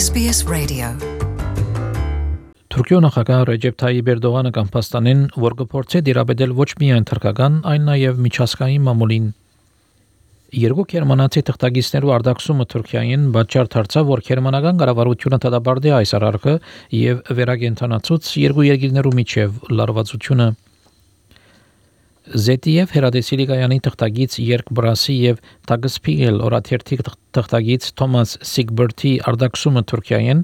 SBS Radio. Թուրքիո նախագահ Ռեջեփ Թայիփ Էրդողանը կամ Պաստանեն, որ գործե դիրաբեդել ոչ միայն թրքական, այլ նաև միջազգային մամուլին։ Երկու գերմանացի թղթակիցներու արտաքսումը Թուրքիային բաճար դարձավ, որ գերմանական կառավարությունը դադարեցրի այս արարքը եւ վերագենթանացուց երկու երկիրներու միջև լարվածությունը։ ZDF հերադեսիլի գայանի թղթակից Երկ Բրասի եւ Տագսպիգել օրաթերթի թղթակից Թոմաս Սիգբերտի արտաքսումը Թուրքիային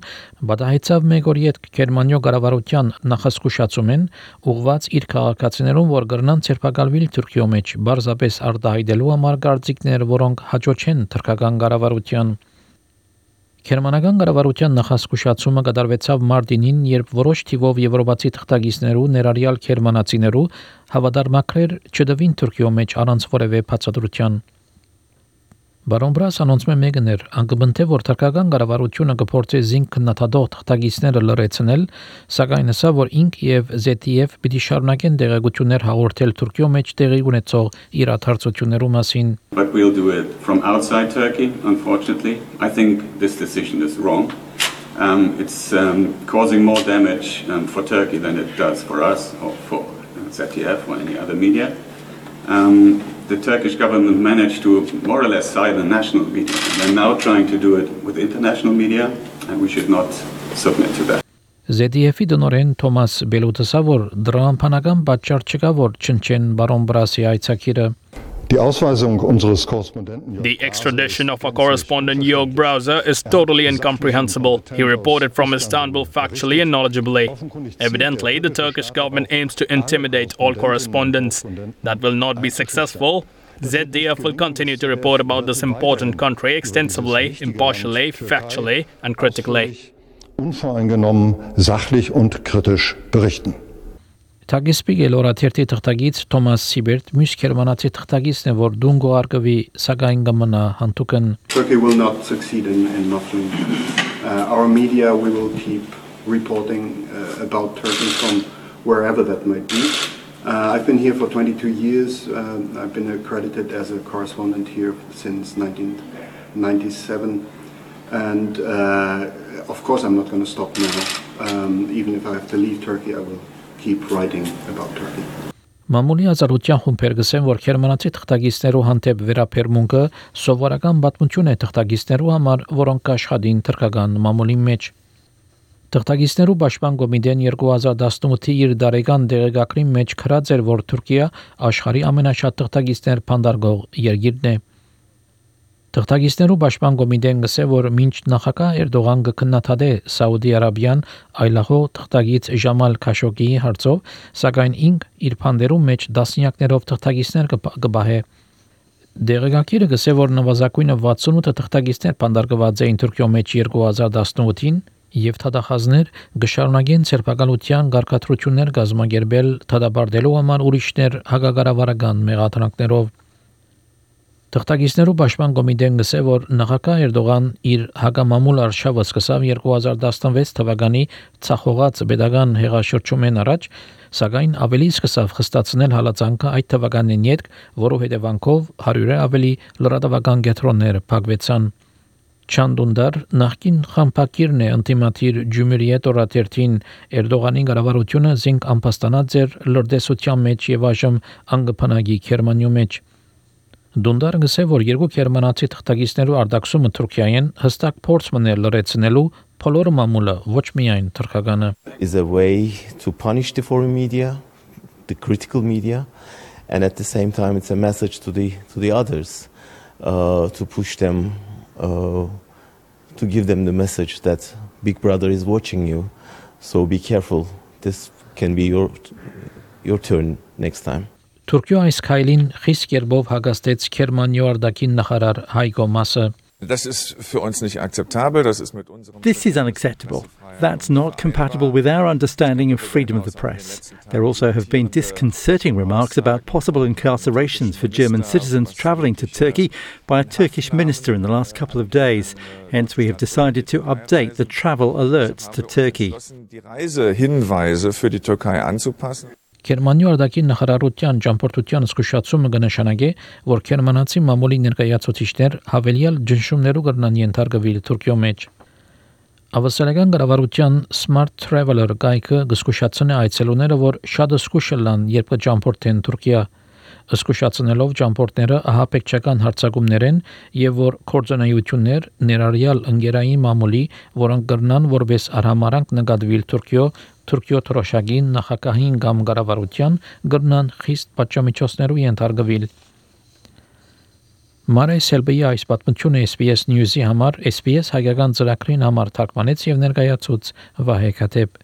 բադահեցավ մեկ օր յետ Գերմանիո կառավարության նախասկուշացումեն ուղված իր քաղաքացիներուն, որ կրնան ցերպակալվել Թուրքիո մեջ բարձրապես արտահայտելու համար գործիքներ, որոնք հաջողեն թուրքական կառավարության։ Գերմանական կառավարության նախասկուշացումը կատարվեցավ մարտինին, երբ որոշ թիվով եվրոպացի թղթակիցներու ներառյալ գերմանացիներու հավատարմակրեր չդվին Թուրքիո մեջ առանց որևէ բացատրության։ Բարոն Բրաս անոնցմե մեգներ անկբնթե որ թուրքական կառավարությունը կփորձի զինք քննադատող թղթակիցները լրացնել, սակայն ասա որ ինք եւ ZDF պիտի շարունակեն դեղեցություններ հաղորդել Թուրքիո մեջ տեղի ունեցող իրադարձություններու մասին։ But we'll do it from outside Turkey, unfortunately. I think this decision is wrong. It's causing more damage for Turkey than it does for us or for ZDF or any other media. The Turkish government managed to more or less silence the national media. They're now trying to do it with international media, and we should not submit to that. ZDF-ի դնորեն Թոմաս Բելուտսը որ դրամփանական պատճառ չկա որ չնչեն բարոն Բրասի այցակիրը։ The extradition of our correspondent Jörg Browser is totally incomprehensible. He reported from Istanbul factually and knowledgeably. Evidently, the Turkish government aims to intimidate all correspondents. That will not be successful. ZDF will continue to report about this important country extensively, impartially, factually, and critically. Unvoreingenommen, sachlich und kritisch berichten. Տագսպիգել օրաթերթի թղթակից Թոմաս Սիբերտ մյուս գերմանացի թղթակիցն է որ դուն գողարկվի սակայն կմնա հանդուկն Turkey will not succeed in nothing. Our media we will keep reporting about Turkey from wherever that might be. I've been here for 22 years. I've been accredited as a correspondent here since 1997 and of course I'm not going to stop now. Even if I have to leave Turkey I will keep writing about Turkey. Մամուլի ազատության խումբեր գսեն, որ գերմանացի թղթակիցներու հանդեպ վերապերմունքը սովորական պատմություն է թղթակիցներու համար, որոնք կաշխատին թուրքական մամուլի մեջ։ Թղթակիցներու պաշտպան կոմիտեն 2018-ի իր դարեկան դեղեկագրի մեջ քրած էր, որ Թուրքիա աշխարհի ամենաշատ թղթակիցներ փանդարգող երկիրն է։ Թղթակիցներու պաշտպան կոմիտեն գսե, որ մինչ նախագահ Էրդողան կքննադատե Սաուդի Արաբիան այլախոհ թղթակից Ժամալ Քաշոգիի հարցով, սակայն ինք իր փանդերու մեջ դասնյակներով թղթակիցներ կբահե։ Դեղեկագիրը գսե, որ նվազագույնը 68 թղթակիցներ փանդարգված էին Թուրքիո մեջ 2018-ին եւ թադախազներ գշարունակեն ցերպակալության գարկաթրություններ գազմագերբել թադաբարդելու համար ուրիշներ հագագարավարական մեղադրանքներով։ Թղթակիցներու պաշտպան կոմիտեն գսե, որ նախագահ Էրդողան իր հագամամուլ արշավը սկսավ 2016 թվականի ցախողած pedagogan հեղաշրջումեն առաջ, սակայն ավելի սկսավ խստացնել հալածանքը այդ թվականին յետք, որով հետևանքով 100-ը ավելի լրատվական կենտրոններ փակվեցան։ Չանդունդար նախկին խմբակիրն է անտիմատիր Ջումհուրիետ օրաթերթին Էրդողանի կառավարությունը զինք ամփոստանած էր լրտեսության մեջ եւ այժմ անգփանագի Գերմանիո մեջ։ Դունդարը գսե, որ երկու գերմանացի թղթակիցներու արտաքսումը Թուրքիային հստակ փորձ մներ լրացնելու բոլոր մամուլը ոչ միայն թուրքականը is a way to punish the foreign media, the critical media, and at the same time it's a message to the others to push them to give them the message that Big Brother is watching you, so be careful. This can be your turn next time. Թուրքիո այս քայլին խիստ կերպով հագաստեց Գերմանիո արտաքին նախարար Հայկո Մասը։ Das ist für uns nicht akzeptabel. Das ist mit unserem This is unacceptable. That's not compatible with our understanding of freedom of the press. There also have been disconcerting remarks about possible incarcerations for German citizens travelling to Turkey by a Turkish minister in the last couple of days. Hence, we have decided to update the travel alerts to Turkey. Die Reisehinweise für die Türkei anzupassen. Գերմանիո արտաքին նախարարության ճամփորդության զսկուշացումը կնշանակի, որ գերմանացի մամուլի ներկայացուցիչներ հավելյալ ճնշումներու կրնան ենթարկվել Թուրքիո մեջ։ Ավասարական կառավարության Smart Traveler գայքը գսկուշացնե այցելուները, որ շատ զսկուշ լան, երբ կճամփորդեն Թուրքիա, զսկուշացնելով ճամփորդները ահապեկչական հարցակումներեն եւ որ կորձանայություններ ներառյալ ընկերային մամուլի, որոնք կրնան որպես արհամարանք նկատվիլ Թուրքիո թրոշակին նախագահին կամ կառավարության կրնան խիստ պատժամիջոցներու ենթարկվել։ Մարե Սելբեի այս պատմությունը SBS News-ի համար SBS հայկական ծրագրին համար թարգմանեց եւ ներկայացուց Վահե Քաթեփ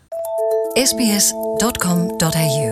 sbs.com.au